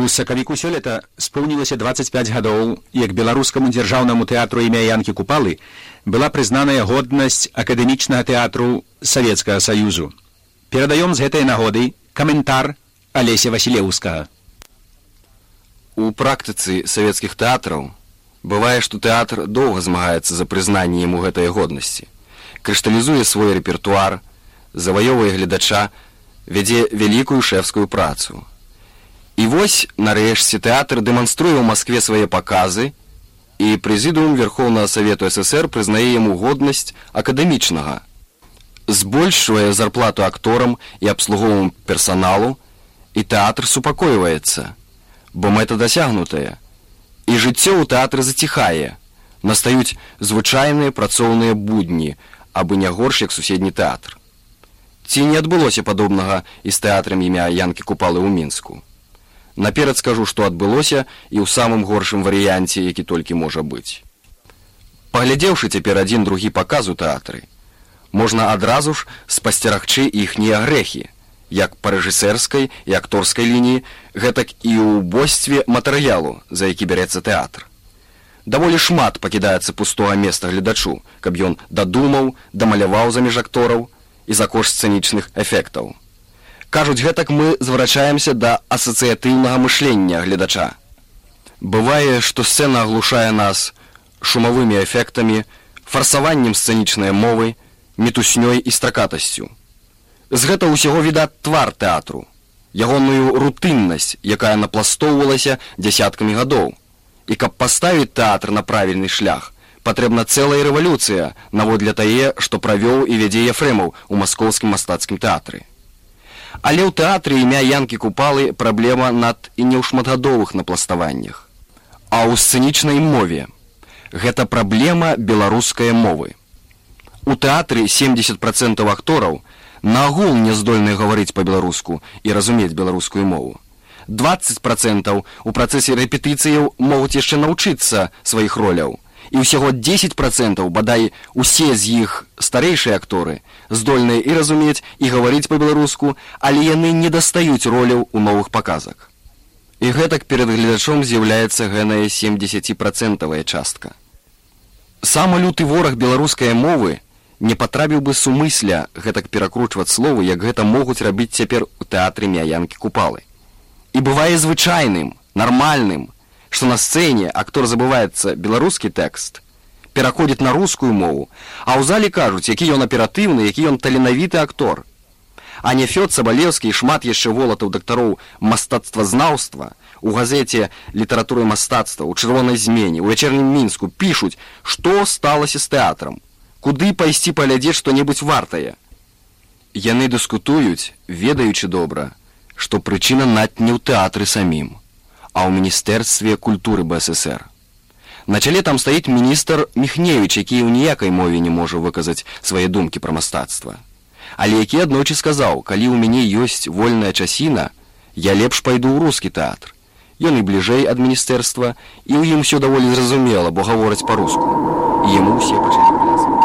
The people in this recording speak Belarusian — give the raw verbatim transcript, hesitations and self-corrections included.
У сакавіку сёлета споўнілася дваццаць пяць гадоў, як беларускаму дзяржаўнаму тэатру імя Янкі Купалы была прызнаная годнасць акадэмічнага тэатру Савецкага Саюзу. Перадаём з гэтай нагоды каментар Алеся Васілеўскага. У практыцы савецкіх тэатраў бывае, што тэатр доўга змагаецца за прызнанне яму гэтай годнасці, крышталізуе свой рэпертуар, заваёвае гледача, вядзе вялікую шэфскую працу. І вось, нарэшце, тэатр дэманструе ў Маскве свае паказы, і прэзідыум Верхоўнага Савету ССР прызнае яму годнасць акадэмічнага, збольшвае зарплату акторам і абслуговаму персаналу, і тэатр супакойваецца, бо мэта дасягнутая. І жыццё ў тэатры заціхае, настаюць звычайныя працоўныя будні, абы не горш, як суседні тэатр. Ці не адбылося падобнага і з тэатрам імя Янкі Купалы ў Мінску? Наперад скажу, што адбылося і ў самым горшым варыянце, які толькі можа быць. Паглядзеўшы цяпер адзін другі паказ у тэатры, можна адразу ж спасцерагчы іхнія грэхі, як па рэжысэрскай і акторскай лініі, гэтак і ў убостве матэрыялу, за які бярэцца тэатр. Даволі шмат пакідаецца пустога места гледачу, каб ён дадумаў, дамаляваў заміж актораў і за кошт сцэнічных эфектаў. Кажуць, гэтак мы зварачаемся да асацыятыўнага мышлення гледача. Бывае, што сцэна аглушае нас шумавымі эфектамі, фарсаваннем сцэнічнай мовы, мітуснёй і стракатасцю. З гэта ўсяго відаць твар тэатру, ягоную рутыннасць, якая напластоўвалася дзясяткамі гадоў. І каб паставіць тэатр на правільны шлях, патрэбна цэлая рэвалюцыя наводле тае, што правёў і вядзе Ефрэмаў у маскоўскім мастацкім тэатры. Але ў тэатры імя Янкі Купалы праблема над і не ў шматгадовых напластаваннях, а ў сцэнічнай мове. Гэта праблема беларускай мовы. У тэатры семдзесят працэнтаў актораў наагул не здольныя гаварыць па-беларуску і разумець беларускую мову. дваццаць працэнтаў у працэсе рэпетыцыяў могуць яшчэ навучыцца сваіх роляў. І ўсяго дзесяць працэнтаў, бадай усе з іх старэйшыя акторы, здольныя і разумець, і гаварыць па-беларуску, але яны не дастаюць роляў у новых паказах. І гэтак перад гледачом з'яўляецца гэная семдзесятпрацэнтавая частка. Самы люты вораг беларускай мовы не патрабіў бы сумысля гэтак перакручваць словы, як гэта могуць рабіць цяпер у тэатры імя Янкі Купалы. І бывае звычайным, нармальным, што на сцэне актор забываецца беларускі тэкст, пераходзіць на рускую мову, а ў зале кажуць, які ён аператыўны, які ён таленавіты актор. А Нефёд Сабалеўскі і шмат яшчэ волатаў дактароў мастацтвазнаўства у газеце «Літаратура і мастацтва», у «Чырвонай змене», у «Вячэрнім Мінску» пішуць, што сталася з тэатрам, куды пайсці паглядзець што-небудзь вартае. Яны дыскутуюць, ведаючы добра, што прычына над не ў тэатры самім, а ў Міністэрстве культуры БССР. На чале там стаіць міністр Міхневіч, які ў ніякай мове не можа выказаць свае думкі пра мастацтва. Але які аднойчы сказаў, калі ў мяне ёсць вольная часіна, я лепш пайду ў рускі тэатр. Ён і бліжэй ад міністэрства, і ў ім усё даволі зразумела, бо гавораць па-руску. І яму ўсе пачалі плясаць.